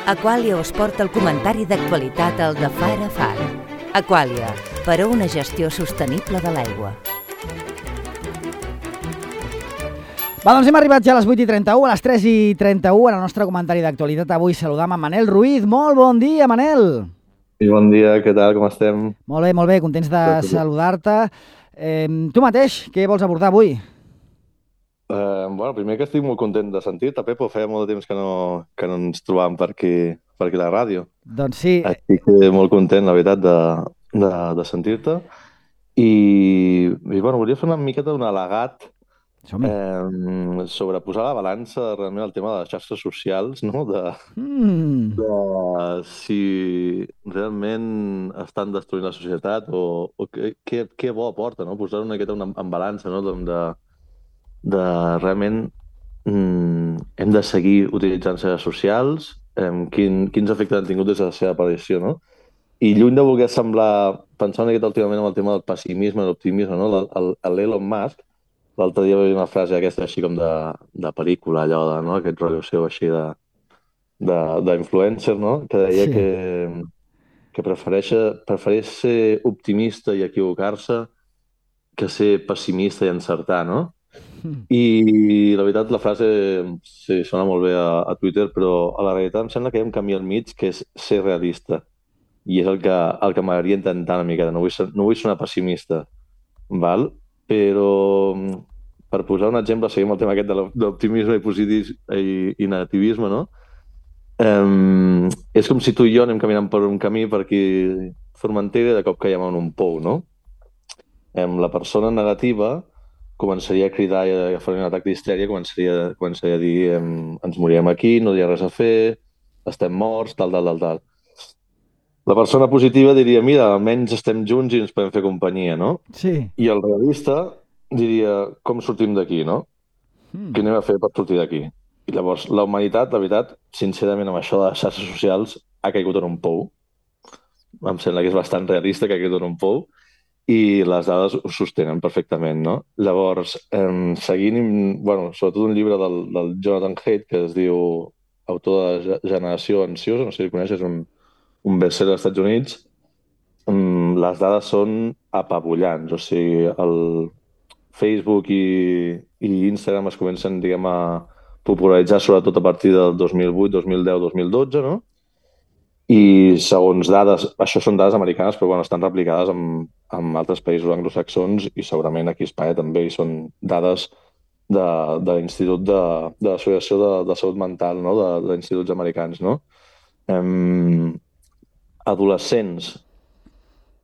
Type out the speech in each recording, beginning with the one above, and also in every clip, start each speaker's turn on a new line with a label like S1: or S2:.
S1: Aquàlia us porta el comentari d'actualitat al de Far a Far. Aquàlia, per a una gestió sostenible de l'aigua.
S2: Va, doncs hem arribat ja a les 8:31, a les 3:31, en el nostre comentari d'actualitat. Avui saludam a Manel Ruiz. Molt bon dia, Manel.
S3: I bon dia, què tal, com estem?
S2: Molt bé, contents de saludar-te. Tu mateix, què vols abordar avui?
S3: Bueno, primer que estic molt content de sentir-te, Pepo. Feia molt de temps que no ens trobàvem per aquí a la ràdio.
S2: Doncs sí.
S3: Estic molt content, la veritat, de sentir-te. I bueno, volia fer una miqueta d'un al·legat sobre posar a la balança realment el tema de les xarxes socials, no? De si realment estan destruint la societat o què bo aporta, no? Posar una miqueta en balança, no? De realment hem de seguir utilitzant xarxes socials, quins efectes han tingut des de la seva aparició, no? I lluny de voler pensar una miqueta últimament amb el tema del pessimisme i l'optimisme, no? L'Elon Musk, l'altre dia va dir una frase aquesta així com de pel·lícula, allò de, no? Aquest rotllo seu així d'influencer, no? Que deia que prefereix ser optimista i equivocar-se que ser pessimista i encertar, no? I la veritat, la frase sí, sona molt bé a Twitter, però a la realitat em sembla que hi ha un camí al mig que és ser realista. I és el que m'agradaria intentar una miqueta. No vull sonar pessimista, val? Però per posar un exemple, seguim el tema aquest de l'optimisme i negativisme, no? És com si tu i jo anem caminant per un camí per aquí Formentera i de cop caiem en un pou, no? La persona negativa començaria a cridar i a fer un atac d'histèria, començaria a dir ens morirem aquí, no hi ha res a fer, estem morts, tal. La persona positiva diria, mira, almenys estem junts i ens podem fer companyia, no?
S2: Sí.
S3: I el realista diria, com sortim d'aquí, no? Què anem a fer per sortir d'aquí? I llavors, la humanitat, la veritat, sincerament, amb això de les xarxes socials, ha caigut en un pou. Em sembla que és bastant realista que ha caigut en un pou i les dades ho sostenen perfectament, no? Llavors, seguint, bueno, sobretot un llibre del Jonathan Haidt que es diu Autor de Generació Ansiosa, no sé si coneixes, un best-seller als Estats Units, les dades són apabullants. O sigui, el Facebook i Instagram es comencen, diguem, a popularitzar sobretot a partir del 2008, 2010, 2012, no? I segons dades, això són dades americanes, però bueno, estan replicades en altres països anglosaxons i segurament aquí a Espanya també, i són dades de l'Institut de l'Associació de Salut Mental, no? D'instituts americans, no? Adolescents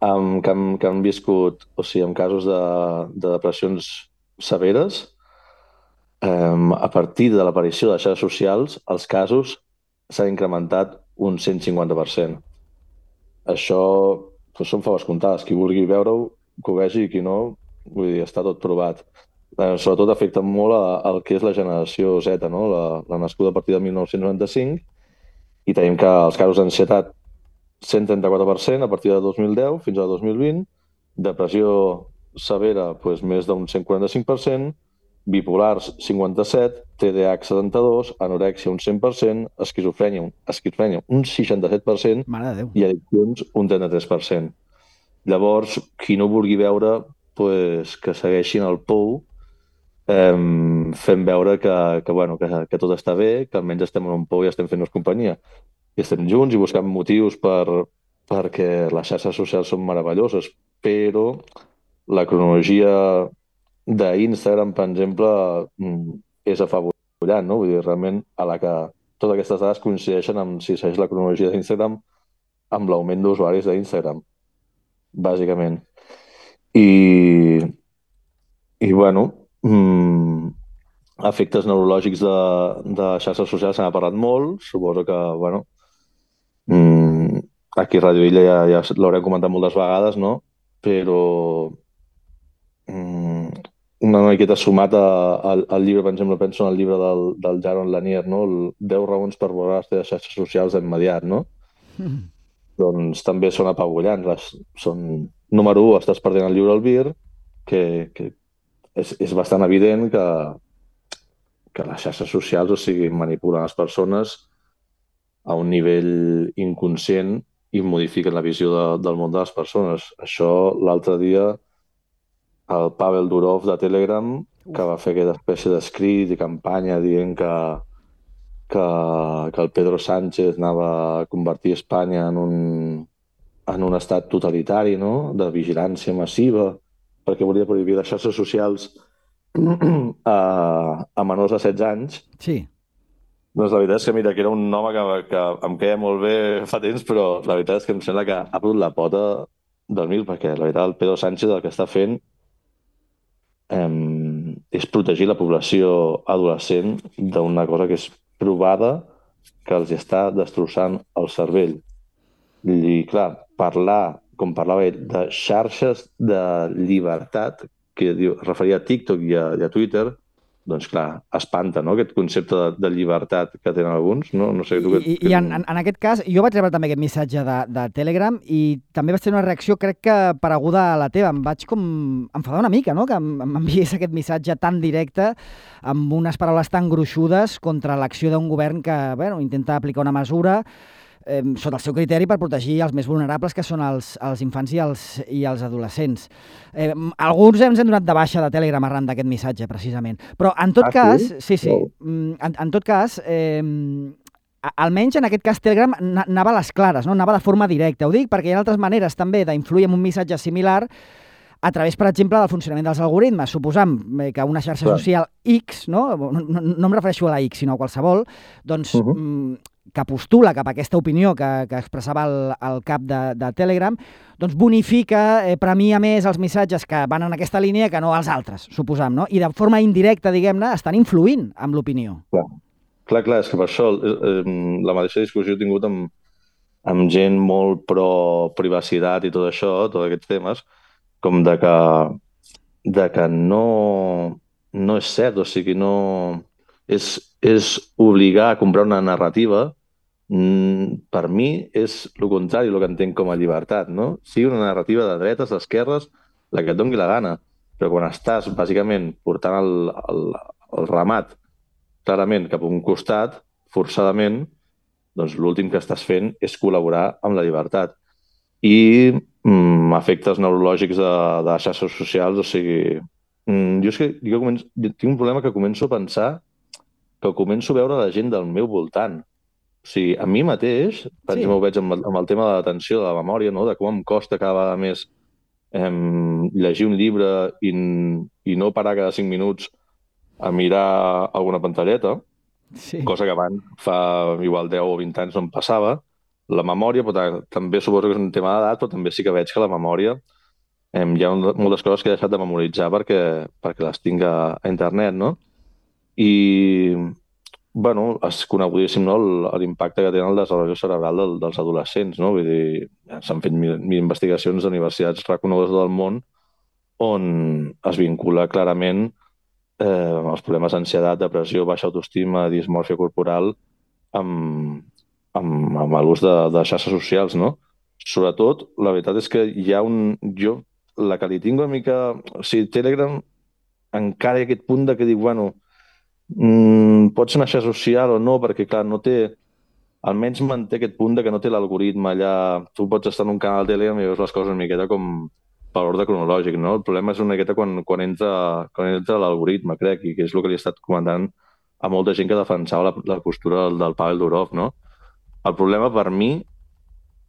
S3: que han viscut, o sigui, en casos de depressions severes, a partir de l'aparició de xarxes socials, els casos s'han incrementat un 150%. Això són faves comptades. Qui vulgui veure-ho, que ho vegi, i qui no, vull dir, està tot provat. Sobretot afecta molt al que és la generació Z, no? La nascuda a partir de 1995, i tenim que els casos d'ansietat 134% a partir de 2010 fins al 2020, depressió severa doncs, més d'un 145%, bipolars 57%, TDAH 72%, anorèxia un 100%, esquizofrènia un 67% i addiccions un 33%. Llavors, qui no vulgui veure, doncs, que segueixin el pou fent veure que tot està bé, que almenys estem en un pou i estem fent-nos companyia. I estem junts i buscant motius perquè les xarxes socials són meravelloses, però la cronologia d'Instagram, per exemple, és afavorant, no? Vull dir, realment, a la que totes aquestes dades coincideixen amb si segueix la cronologia d'Instagram amb l'augment d'usuaris d'Instagram, bàsicament. I bueno, efectes neurològics de xarxes socials se n'ha parlat molt, suposo que, bueno, aquí a Radio Illa ja l'haurem comentat moltes vegades, no? Però una miqueta sumat al llibre, per exemple, penso en el llibre del Jaron Lanier, no? 10 raons per borrar les teves xarxes socials d'immediat, no? Doncs també són apabullants. Número 1, estàs perdent el lliure albir, que és bastant evident que les xarxes socials, o sigui, manipulen les persones a un nivell inconscient i modifiquen la visió del món de les persones. Això l'altre dia el Pavel Durov de Telegram, que va fer aquesta espècie d'escrit i campanya dient que el Pedro Sánchez anava a convertir Espanya en un estat totalitari, no?, de vigilància massiva, perquè volia prohibir les xarxes socials a menors de 16 anys.
S2: Sí.
S3: Doncs la veritat és que, mira, que era un home que em queia molt bé fa temps, però la veritat és que em sembla que ha perdut la pota del mil, perquè la veritat el Pedro Sánchez el que està fent és protegir la població adolescent d'una cosa que és provada que els està destrossant el cervell. I, clar, parlar, com parlava ell, de xarxes de llibertat, que es referia a TikTok i a Twitter, doncs clar, espanta, no?, aquest concepte de llibertat que tenen alguns. No sé tu què...
S2: I en aquest cas, jo vaig rebre també aquest missatge de Telegram i també vaig tenir una reacció, crec que pareguda a la teva. Em vaig com enfadar una mica, no?, que m'enviés aquest missatge tan directe amb unes paraules tan gruixudes contra l'acció d'un govern que, bueno, intenta aplicar una mesura sota el seu criteri per protegir els més vulnerables, que són els infants i els adolescents. Alguns ens hem donat de baixa de Telegram arran d'aquest missatge, precisament. Però en tot cas... Sí. En tot cas, almenys en aquest cas Telegram anava a les clares, no? Anava de forma directa. Ho dic perquè hi ha altres maneres també d'influir en un missatge similar a través, per exemple, del funcionament dels algoritmes. Suposam que una xarxa social X, no em refereixo a la X, sinó a qualsevol, doncs... que postula cap a aquesta opinió que expressava el cap de Telegram, doncs bonifica, premia més els missatges que van en aquesta línia que no els altres, suposam, no? I de forma indirecta, diguem-ne, estan influint amb l'opinió.
S3: Clar, és que per això la mateixa discussió he tingut amb gent molt pro-privacitat i tot això, tots aquests temes, com de que no és cert, o sigui, no... És obligar a comprar una narrativa. Per mi és el contrari, el que entenc com a llibertat, no? Sigui una narrativa de dretes, d'esquerres, la que et doni la gana, però quan estàs bàsicament portant el ramat clarament cap a un costat, forçadament, doncs l'últim que estàs fent és col·laborar amb la llibertat. I efectes neurològics de les xarxes socials, o sigui... Jo tinc un problema que començo a pensar que començo a veure la gent del meu voltant. O sigui, a mi mateix, per exemple, ho veig amb el tema de l'atenció, de la memòria, no?, de com em costa cada vegada més llegir un llibre i no parar cada 5 minuts a mirar alguna pantalleta, cosa que abans, fa igual 10 o 20 anys, no em passava. La memòria, però també suposo que és un tema d'edat, però també sí que veig que la memòria hi ha moltes coses que he deixat de memoritzar perquè les tinc a internet, no? I, bueno, és conegudíssim, no?, l'impacte que tenen el desenvolupament cerebral dels adolescents, no? Vull dir, s'han fet mil investigacions d'universitats reconegudes del món on es vincula clarament els problemes d'ansietat, depressió, baixa autoestima, dismòrfia corporal amb l'ús de xarxes socials, no? Sobretot, la veritat és que hi ha jo, la que li tinc una mica... O sigui, Telegram encara hi ha aquest punt de que dic, bueno, pot ser una xarxa social o no, perquè, clar, no té... Almenys manté aquest punt de que no té l'algoritme allà... Tu pots estar en un canal de Telegram i veus les coses una miqueta com per ordre cronològic, no? El problema és una miqueta quan entra l'algoritme, crec, i que és el que li he estat comentant a molta gent que defensava la postura del Pavel Durov, no? El problema, per mi,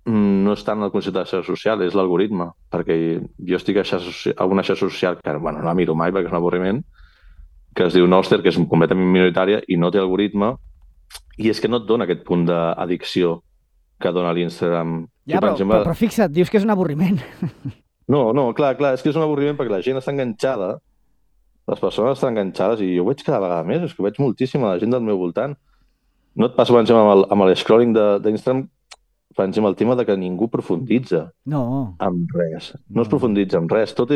S3: no és tant el concepte de xarxa social, és l'algoritme, perquè jo estic a una xarxa social que, bueno, no la miro mai perquè és un avorriment, que es diu Nostr, que és completament minoritària i no té algoritme, i és que no et dona aquest punt d'addicció que dona l'Instagram.
S2: Ja, però fixa't, dius que és un avorriment.
S3: No, clar, és que és un avorriment perquè la gent està enganxada, les persones estan enganxades, i jo ho veig cada vegada més, és que veig moltíssima la gent del meu voltant. No et passa, per exemple, amb l'scrolling d'Instagram, per exemple, el tema de que ningú profunditza en res. No es profunditza en res. Tot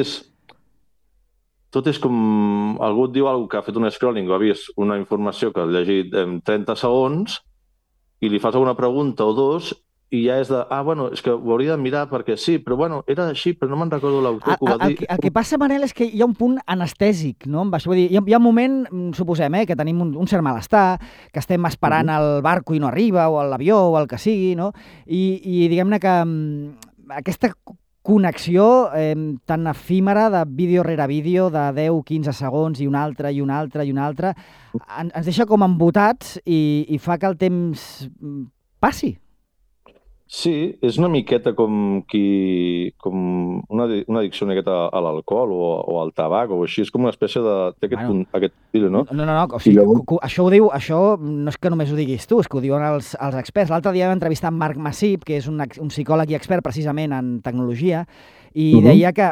S3: és com... Algú et diu alguna que ha fet un scrolling o ha vist una informació que ha llegit en 30 segons i li fas alguna pregunta o dos i ja és de, bueno, és que ho hauria de mirar perquè sí, però bueno, era així, però no me'n recordo l'autor que ho va dir.
S2: El que passa, Manel, és que hi ha un punt anestèsic, no? Amb això, vull dir, hi ha un moment, suposem, que tenim un cert malestar, que estem esperant el barco i no arriba, o l'avió, o el que sigui, no? I diguem-ne que aquesta connexió tan efímera de vídeo rere vídeo, de 10-15 segons, i un altre, i un altre, i un altre, ens deixa com embotats i fa que el temps passi.
S3: Sí, és una miqueta com una addicció una miqueta a l'alcohol o al tabac o així, és com una espècie de... té aquest estil, no?
S2: No, o sigui, això ho diu, això no és que només ho diguis tu, és que ho diuen els experts. L'altre dia vam entrevistar en Marc Massip, que és un psicòleg i expert precisament en tecnologia, i deia que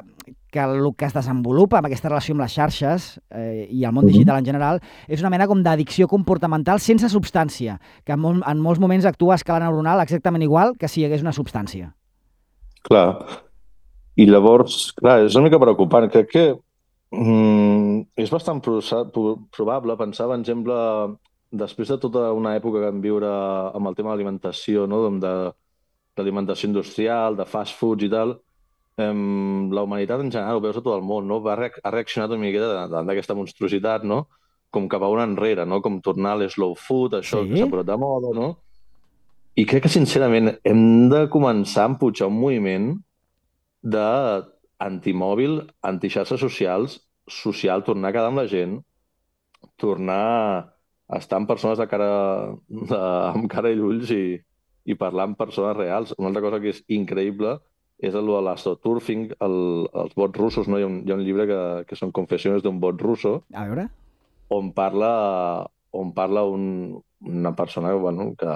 S2: el que es desenvolupa amb aquesta relació amb les xarxes i el món digital en general és una mena com d'addicció comportamental sense substància, que en molts moments actua a escala neuronal exactament igual que si hi hagués una substància.
S3: Clar. I llavors, clar, és una mica preocupant. Crec que és bastant probable pensar, per exemple, després de tota una època que vam viure amb el tema de l'alimentació, no? D'alimentació industrial, de fast foods i tal, la humanitat en general, ho veus a tot el món, no? Ha reaccionat una miqueta davant d'aquesta monstruositat, no? Com cap a un enrere, no? Com tornar a l'slow food, això que s'ha posat de moda, no? I crec que, sincerament, hem de començar a empujar un moviment d'antimòbil, antixarxes socials, tornar a quedar amb la gent, tornar a estar amb persones amb cara i ulls i parlar amb persones reals. Una altra cosa que és increïble és el de l'astroturfing, els bots russos, no? Hi ha un llibre que són confessions d'un bot russo.
S2: A veure.
S3: On parla una persona que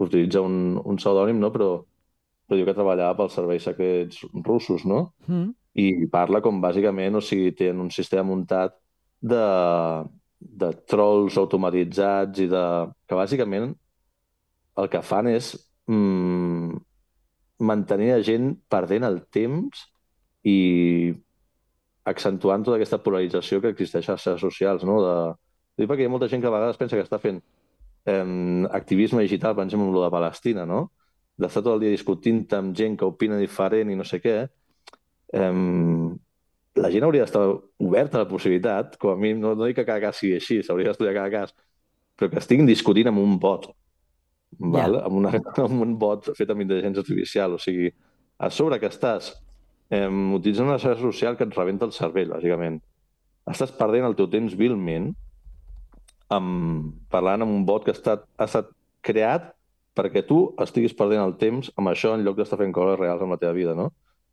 S3: utilitza un pseudònim, no? Però diu que treballava pels serveis secrets russos, no? I parla com, bàsicament, o sigui, tenen un sistema muntat de trolls automatitzats i que, bàsicament, el que fan és mantenir la gent perdent el temps i accentuant tota aquesta polarització que existeix a les xarxes socials, no? Perquè hi ha molta gent que a vegades pensa que està fent activisme digital, per exemple, amb lo de Palestina, no? D'estar tot el dia discutint amb gent que opina diferent i no sé què. La gent hauria d'estar oberta a la possibilitat, com a mínim, no dic que cada cas sigui així, s'hauria d'estudiar cada cas, però que estiguin discutint amb un bot. Amb un bot fet amb intel·ligència artificial. O sigui, a sobre que estàs utilitzant una xarxa social que et rebenta el cervell, bàsicament. Estàs perdent el teu temps vilment parlant amb un bot que ha estat creat perquè tu estiguis perdent el temps amb això en lloc d'estar fent coses reals amb la teva vida, no?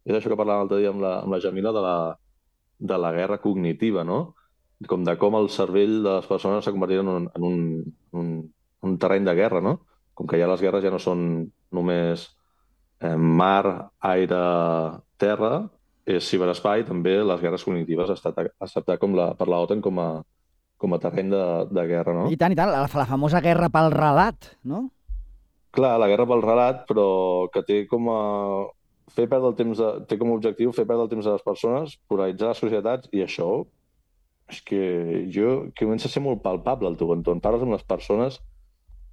S3: És això que parlàvem l'altre dia amb la Jamila de la guerra cognitiva, no? Com el cervell de les persones s'ha convertit en un terreny de guerra, no? Com que ja les guerres ja no són només mar, aire, terra, és ciberespai, també les guerres cognitives ha estat acceptat per l'OTAN com a terreny de guerra, no?
S2: I tant, la famosa guerra pel relat, no?
S3: Clar, la guerra pel relat, però que té com a objectiu fer perdre el temps a les persones, polaritzar les societats, i això és que comença a ser molt palpable al teu entorn. Parles amb les persones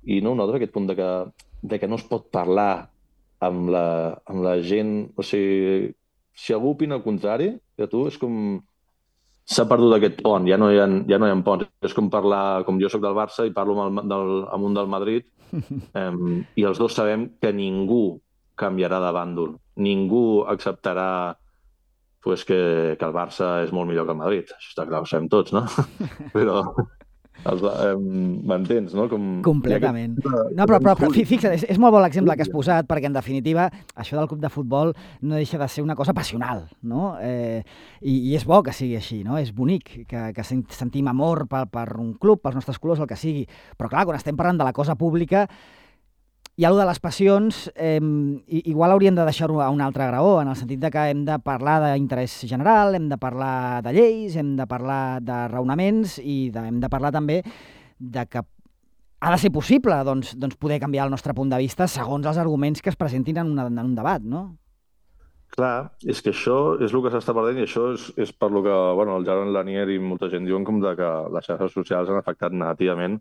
S3: i no notes aquest punt de que no es pot parlar amb la gent. O sigui, si algú opina el contrari de tu, és com s'ha perdut aquest pont, ja no hi ha ponts. És com parlar, com jo soc del Barça i parlo amb un del Madrid, i els dos sabem que ningú canviarà de bàndol. Ningú acceptarà que el Barça és molt millor que el Madrid. Això està clar, ho sabem tots, no? Però m'entens, no?
S2: Completament. No, però fixa't, és molt bo l'exemple que has posat, perquè en definitiva això del club de futbol no deixa de ser una cosa passional, no? I és bo que sigui així, no? És bonic que sentim amor per un club, pels nostres colors, el que sigui. Però clar, quan estem parlant de la cosa pública, i allò de les passions, igual hauríem de deixar-ho a un altre graó, en el sentit de que hem de parlar d'interès general, hem de parlar de lleis, hem de parlar de raonaments i hem de parlar també de que ha de ser possible poder canviar el nostre punt de vista segons els arguments que es presentin en un debat, no?
S3: Clar, és que això és el que s'està perdent, i això és per lo que el Jaron Lanier i molta gent diuen com que les xarxes socials han afectat molt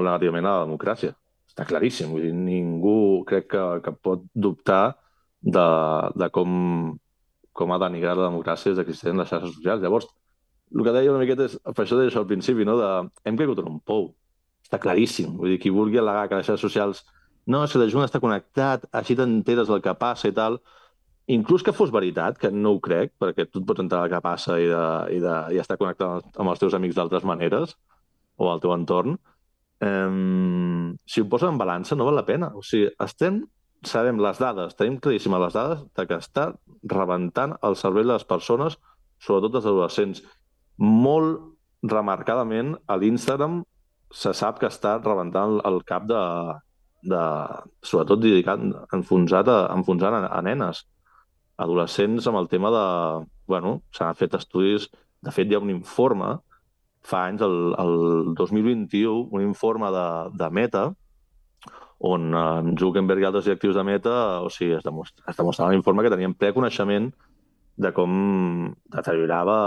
S3: negativament a la democràcia. està claríssim. Vull dir, ningú crec que pot dubtar de com ha denigrat la democràcia des que existeixen les xarxes socials. Llavors, el que deia una miqueta és, per això deia això al principi, no? Hem caigut en un pou. Està claríssim. Vull dir, qui vulgui al·legar que les xarxes socials no, si la Junta està connectat, així t'enteres del que passa i tal, inclús que fos veritat, que no ho crec, perquè tu et pots entrar al que passa i estar connectat amb els teus amics d'altres maneres, o al teu entorn, si ho posen en balança no val la pena. O sigui, sabem les dades, tenim claríssimes les dades de que està rebentant el cervell de les persones, sobretot dels adolescents. Molt remarcadament, a l'Instagram se sap que està rebentant el cap sobretot enfonsant a nenes, adolescents, amb el tema de... Bueno, s'han fet estudis, de fet hi ha un informe, fa anys, el 2021, un informe de Meta, on Zuckerberg i altres directius de Meta, o sigui, es demostrava l'informe que tenien preconeixement de com deteriorava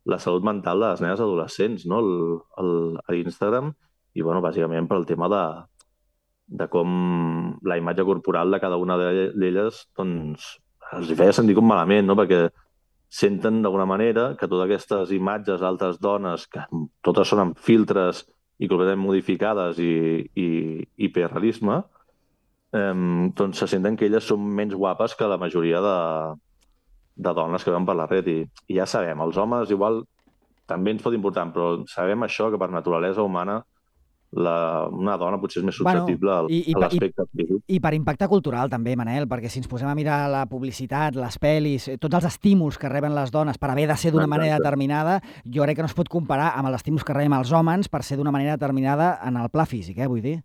S3: la salut mental de les nenes adolescents, no? A Instagram, i, bueno, bàsicament pel tema de com la imatge corporal de cada una d'elles doncs, els feia sentir com malament, no? Perquè senten d'alguna manera que totes aquestes imatges d'altres dones, que totes són amb filtres i completament modificades i hiperrealisme, doncs se senten que elles són menys guapes que la majoria de dones que veuen per la red. I ja sabem, els homes igual també ens pot importar, però sabem això, que per naturalesa humana una dona potser és més susceptible a l'aspecte físic.
S2: I per impacte cultural també, Manel, perquè si ens posem a mirar la publicitat, les pel·lis, tots els estímuls que reben les dones per haver de ser d'una manera determinada, jo crec que no es pot comparar amb els estímuls que rebem els homes per ser d'una manera determinada en el pla físic, vull dir.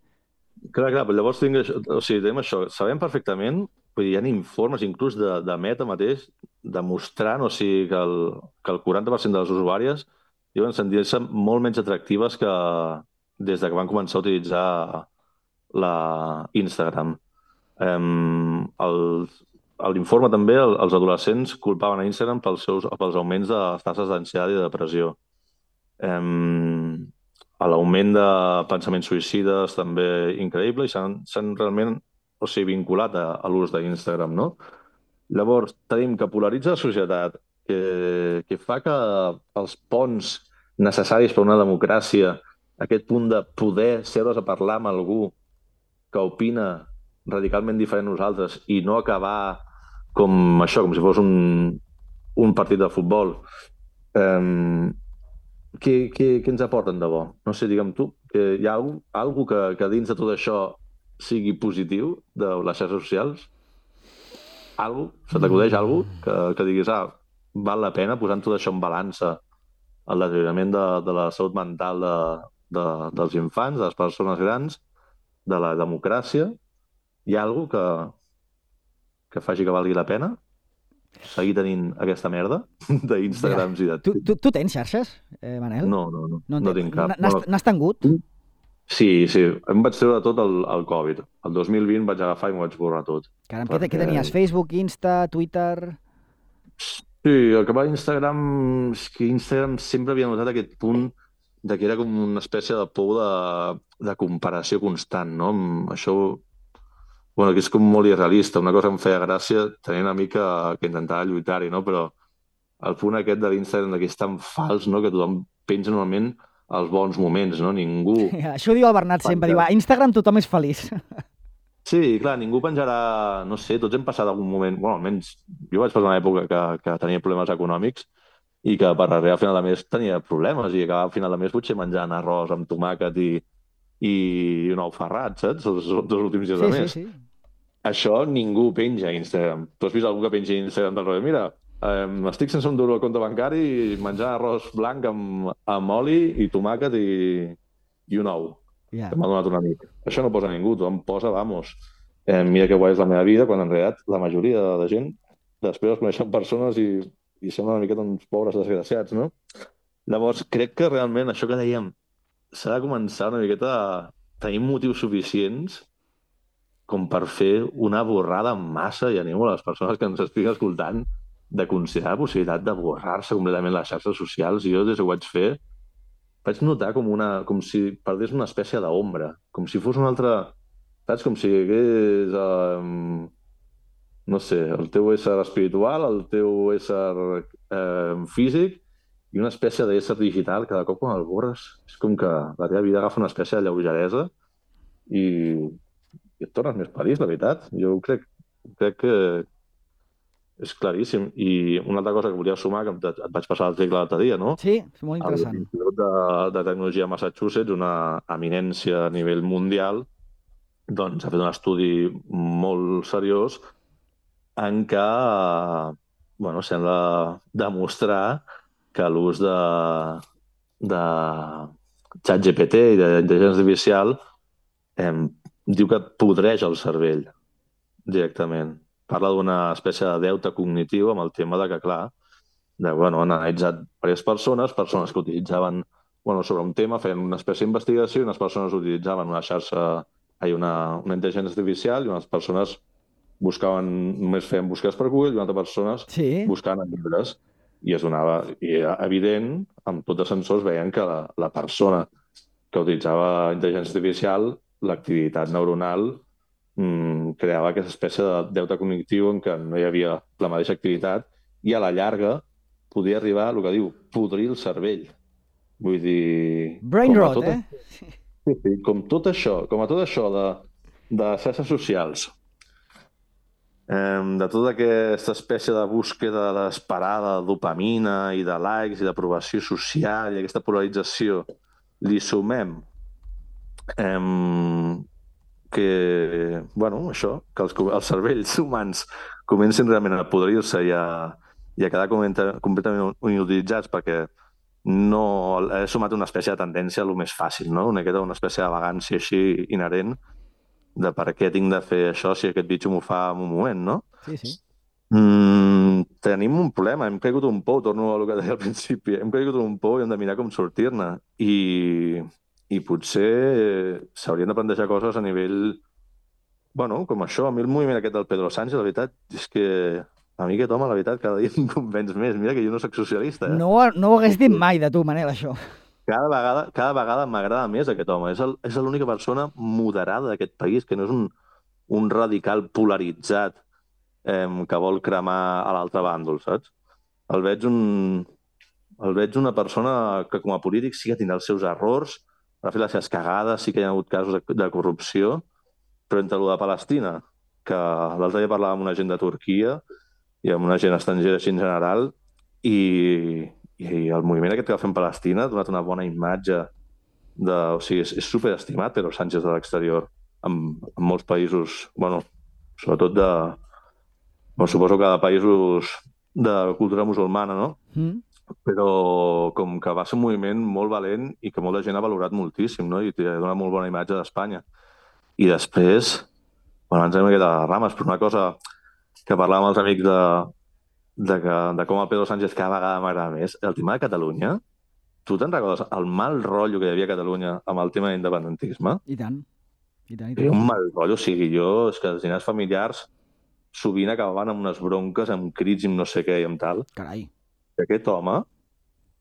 S3: Clar, però llavors tenim això. Sabem perfectament, vull dir, hi ha informes inclús de Meta mateix demostrant, o sigui, que el 40% de les usuàries diuen sentir-se molt menys atractives que des que van començar a utilitzar Instagram. L'informe també, els adolescents culpaven a Instagram pels augments de les tasses d'ansietat i de depressió. L'augment de pensaments suïcides també increïble i s'han realment vinculat a l'ús d'Instagram, no? Llavors, tenim que polaritza la societat, que fa que els ponts necessaris per a una democràcia, aquest punt de poder seure's a parlar amb algú que opina radicalment diferent a nosaltres i no acabar com si fos un partit de futbol. Què ens aporten de bo? No sé, digue'm tu, que hi ha alguna que dins de tot això sigui positiu de les xarxes socials? Se t'acudeix alguna que diguis, val la pena posant tot això en balança, el deteriorament de la salut mental dels infants, de les persones grans, de la democràcia? Hi ha alguna que faci que valgui la pena seguir tenint aquesta merda d'Instagrams i de...
S2: Tu tens xarxes, Manel?
S3: No tinc cap.
S2: N'has tingut?
S3: Sí, em vaig treure tot el Covid. El 2020 vaig agafar i m'ho vaig borrar tot.
S2: Caram, què tenies? Facebook, Insta, Twitter...
S3: Sí, el que va a Instagram és que Instagram sempre havia notat aquest punt de que era com una espècie de por de comparació constant, no? Això, bueno, que és com molt irrealista. Una cosa que em feia gràcia, tenia una mica que intentava lluitar-hi, no? Però el punt aquest de l'Instagram que és tan fals, no? Que tothom penja normalment als bons moments, no? Ningú...
S2: Això diu el Bernat sempre, diu, a Instagram tothom és feliç.
S3: Sí, clar, ningú penjarà... No sé, tots hem passat algun moment... Bueno, almenys jo vaig passar una època que tenia problemes econòmics i que per arribar a final de mes tenia problemes i acabava a final de mes potser menjant arròs amb tomàquet i un ou ferrat, saps? Els dos últims dies de mes. Sí. Això ningú penja a Instagram. Tu has vist algú que penja a Instagram del rotllo? Mira, estic sense un duro al compte bancari i menjant arròs blanc amb oli i tomàquet i un ou. Que m'ha donat un amic. Això no posa ningú, tothom posa, vamos, mira que guai és la meva vida, quan en realitat la majoria de gent després es coneixen persones i semblen una miqueta uns pobres desgraciats, no? Llavors, crec que realment això que dèiem s'ha de començar una miqueta a tenir motius suficients com per fer una borrada en massa, i animo a les persones que ens estiguin escoltant de considerar la possibilitat de borrar-se completament les xarxes socials. Jo des que ho vaig fer vaig notar com si perdés una espècie d'ombra, com si fos una altra... Saps? Com si hi hagués, no sé, el teu ésser espiritual, el teu ésser físic i una espècie d'ésser digital. Cada cop quan el borres és com que la teva vida agafa una espècie de lleugeresa i et tornes més feliç, la veritat. Jo crec que és claríssim. I una altra cosa que volia sumar, que et vaig passar l'article l'altre dia, no?
S2: Sí, és molt interessant.
S3: L'Institut de Tecnologia de Massachusetts, una eminència a nivell mundial, doncs ha fet un estudi molt seriós en què sembla demostrar que l'ús de ChatGPT i d'intel·ligència artificial diu que podreix el cervell directament. Parla d'una espècie de deute cognitiu amb el tema de que, clar, han analitzat diverses persones que utilitzaven sobre un tema, feien una espècie d'investigació i unes persones utilitzaven una intel·ligència artificial i unes persones només feien busques per Google i unes altres persones buscaven en llibres. I era evident, amb tots els sensors veien que la persona que utilitzava intel·ligència artificial, l'activitat neuronal creava aquesta espècie de deute cognitiu en què no hi havia la mateixa activitat i a la llarga podia arribar a el que diu podrir el cervell. Vull dir...
S2: Brain rot,
S3: Sí, com a tot això de xarxes socials, de tota aquesta espècie de búsqueda desesperada de dopamina i de likes i d'aprovació social i aquesta polarització, li sumem que els cervells humans comencin realment a podrir-se i a quedar completament inutilitzats perquè no he sumat una espècie de tendència a lo més fàcil, no? Una espècie de vagància així inherent de per què tinc de fer això si aquest bitxo m'ho fa en un moment, no?
S2: Sí.
S3: Tenim un problema, hem caigut un pou, torno a el que deia al principi, hem caigut un pou i hem de mirar com sortir-ne. I potser s'haurien de plantejar coses a nivell... com això, a mi el moviment aquest del Pedro Sánchez, la veritat, és que a mi aquest home, la veritat, cada dia em convenç més. Mira que jo no soc socialista.
S2: No ho hagués dit mai de tu, Manel, això.
S3: Cada vegada m'agrada més aquest home. És l'única persona moderada d'aquest país, que no és un radical polaritzat que vol cremar a l'altre bàndol, saps? El veig una persona que com a polític sí que tindrà els seus errors, ha fet les seves cagades, sí que hi ha hagut casos de corrupció, però entre el de Palestina, que l'altre dia parlàvem amb una gent de Turquia i amb una gent estrangera així en general, i el moviment aquest que va fer en Palestina ha donat una bona imatge o sigui, és superestimat, però Sánchez de l'exterior, en molts països, sobretot suposo que de països de cultura musulmana, no? Però com que va ser un moviment molt valent i que molta gent ha valorat moltíssim, no? I ha donat molt bona imatge d'Espanya. I després, ens anem a les rames, però una cosa que parlàvem amb els amics de com el Pedro Sánchez cada vegada m'agrada més, el tema de Catalunya, tu te'n recordes el mal rotllo que hi havia a Catalunya amb el tema d'independentisme?
S2: I tant.
S3: Era un mal rotllo, o sigui, és que els dinars familiars sovint acabaven amb unes bronques, amb crits i no sé què i amb tal.
S2: Carai.
S3: I aquest home,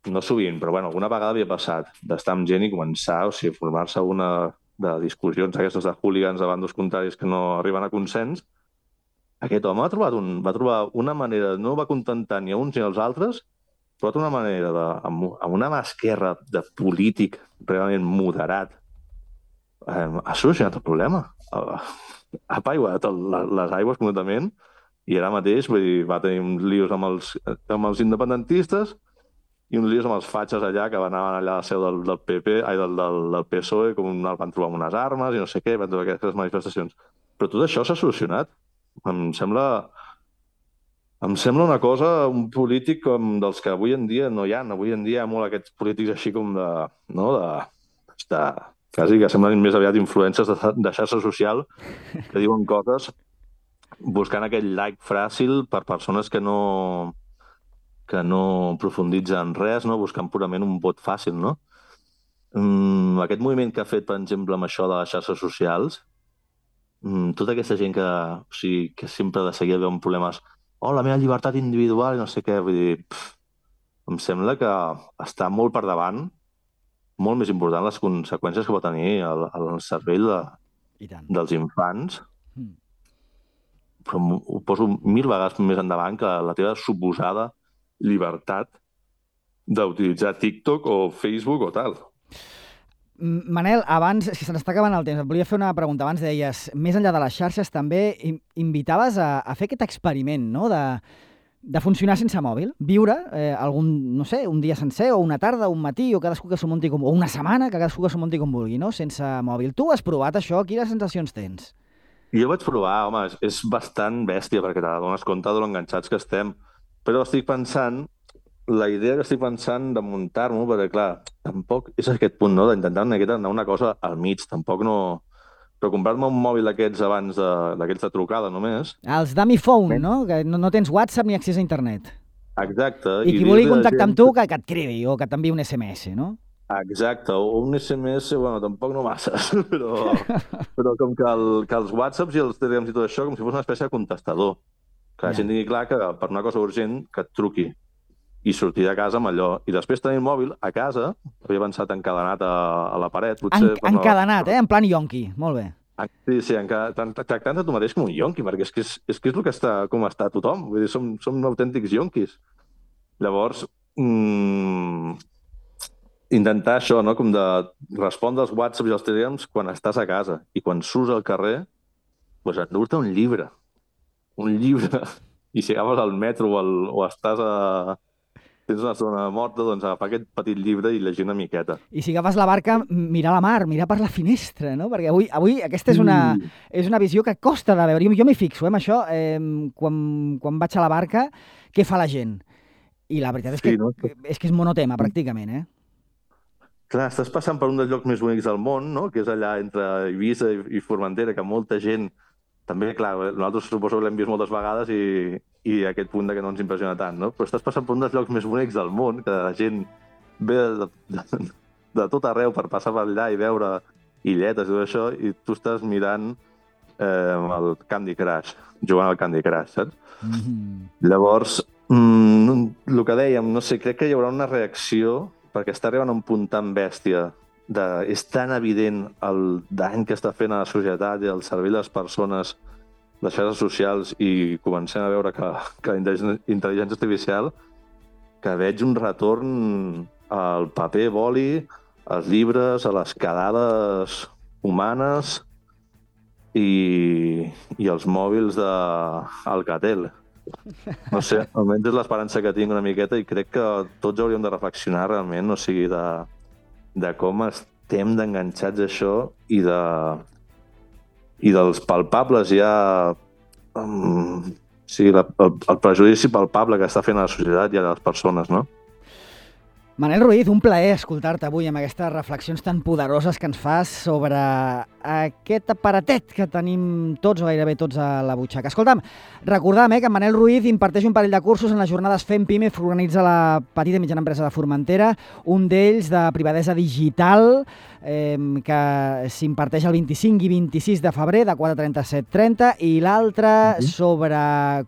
S3: no sovint, però alguna vegada havia passat d'estar amb gent i començar, formar-se una de discussions aquestes de hooligans de bandos contraris que no arriben a consens. Aquest home va trobar una manera, no va contentar ni a uns ni als altres, però una manera, amb una mà esquerra de polític realment moderat, ha solucionat el problema. Ha apaiguat les aigües completament i ara mateix va tenir uns lios amb els independentistes i uns lios amb els fatxes allà que anaven allà a la seu del PP, del PSOE, com el van trobar amb unes armes i no sé què, van trobar aquestes manifestacions. Però tot això s'ha solucionat. Em sembla una cosa, un polític com dels que avui en dia no hi ha. Avui en dia hi ha molt aquests polítics així com quasi que semblen més aviat influències de xarxa social que diuen coses buscant aquell like fàcil per persones que no profunditzen res, no? Buscant purament un vot fàcil, no? Aquest moviment que ha fet, per exemple, amb això de les xarxes socials, tota aquesta gent que sempre de seguida veuen problemes la meva llibertat individual i no sé què, vull dir, em sembla que està molt per davant molt més important les conseqüències que pot tenir el cervell
S2: I tant.
S3: dels infants,
S2: Mm.
S3: però ho poso 1000 vegades més endavant que la teva suposada llibertat d'utilitzar TikTok o Facebook o tal.
S2: Manel, abans, si se n'està acabant el temps, et volia fer una pregunta. Abans deies, més enllà de les xarxes, també invitaves a fer aquest experiment, no?, de funcionar sense mòbil, viure algun, no sé, un dia sencer o una tarda o un matí o cadascú que s'ho munti o una setmana, que cadascú que s'ho munti com vulgui, no?, sense mòbil. Tu has provat això? Quines sensacions tens?
S3: Jo vaig provar, home, és bastant bèstia perquè t'adones compte de l'enganxats que estem, però la idea que estic pensant de muntar-m'ho, perquè clar, tampoc és aquest punt, no?, d'intentar anar una cosa al mig, tampoc no... Però comprar-me un mòbil d'aquests abans d'aquells de trucada només...
S2: Els dummy phone, no?, que no tens WhatsApp ni accés a internet.
S3: Exacte.
S2: I qui vulgui contactar amb tu, que et cridi o que t'enviï un SMS, no?
S3: Exacte, o un SMS, bueno, tampoc no masses, però com que els WhatsApps i els Telegrams i tot això, com si fos una espècie de contestador. Que la gent tingui clar que per una cosa urgent que et truqui i sortir de casa amb allò. I després tenir el mòbil a casa, havia pensat encadenat a la paret. Potser
S2: encadenat, en plan yonqui, molt bé.
S3: Sí, tractant-te tu mateix com un yonqui, perquè és que és el que està, com està tothom. Vull dir, som autèntics yonquis. Llavors, intentar això, no?, com de respondre als WhatsApps i als Telegrams quan estàs a casa i quan surts al carrer, doncs endur-te un llibre. Un llibre. I si agafes al metro o tens una zona morta, doncs agafar aquest petit llibre i llegir una miqueta.
S2: I si agafes la barca, mirar la mar, mirar per la finestra, no? Perquè avui aquesta és una visió que costa de veure. Jo m'hi fixo, amb això, quan vaig a la barca, què fa la gent? I la veritat és que és monotema, pràcticament,
S3: Clar, estàs passant per un dels llocs més bonics del món, no?, que és allà entre Eivissa i Formentera, que molta gent... També, clar, nosaltres suposo que l'hem vist moltes vegades i aquest punt que no ens impressiona tant, no? Però estàs passant per un dels llocs més bonics del món, que la gent ve de tot arreu per passar per allà i veure illetes i tot això, i tu estàs mirant el Candy Crush, jugant al Candy Crush, saps? Llavors, el que dèiem, no sé, crec que hi haurà una reacció perquè està arribant a un punt tan bèstia és tan evident el dany que està fent a la societat i al cervell de les persones, les xarxes socials, i comencem a veure que la intel·ligència artificial, que veig un retorn al paper boli, als llibres, a les quedades humanes i als mòbils d'Alcatel. No sé, almenys és l'esperança que tinc una miqueta i crec que tots hauríem de reflexionar realment, o sigui, de com estem d'enganxats a això i dels palpables ja... Sí, el prejudici palpable que està fent a la societat i a les persones, no?
S2: Manel Ruiz, un plaer escoltar-te avui amb aquestes reflexions tan poderoses que ens fas sobre aquest aparatet que tenim tots o gairebé tots a la butxaca. Escolta'm, recordam que en Manel Ruiz imparteix un parell de cursos en les jornades Fem Pime que organitza la petita i mitjana empresa de Formentera, un d'ells de privadesa digital que s'imparteix el 25 i 26 de febrer de 4:30 a 7:30 i l'altre sobre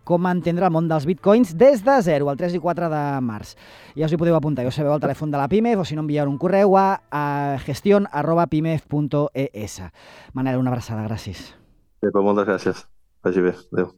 S2: com entendre el món dels bitcoins des de zero, el 3 i 4 de març. Ja us hi podeu apuntar, ja us sabeu el telèfon de la PIMEF o si no enviar un correu a gestion@pimef.es. Manel, una abraçada, gràcies.
S3: Moltes gràcies. Vagi bé. Adéu.